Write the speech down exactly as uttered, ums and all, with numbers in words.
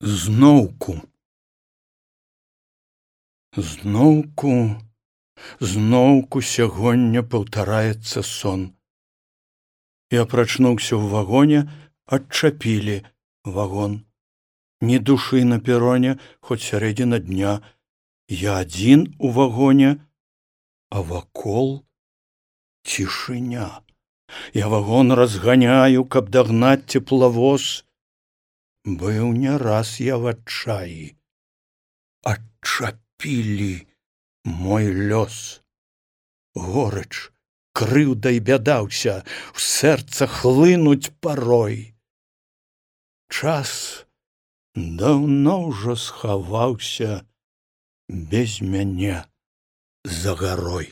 Зноўку. Зноўку, зноўку сягоння паўтараецца сон. Я прачнуўся ў вагоне, адчапілі вагон. Ні душы на пероне, хоць сярэдзіна дня. Я адзін у вагоне, а вакол цішыня. Я вагон разганяю, каб дагнаць цеплавоз. Быў не раз я в адчаі. Адчапілі мой лёс. Горыч, крыўда і бяда ўся ў сэрца хлынуць парой. Час даўно ўжо схаваўся без мяне за гарой.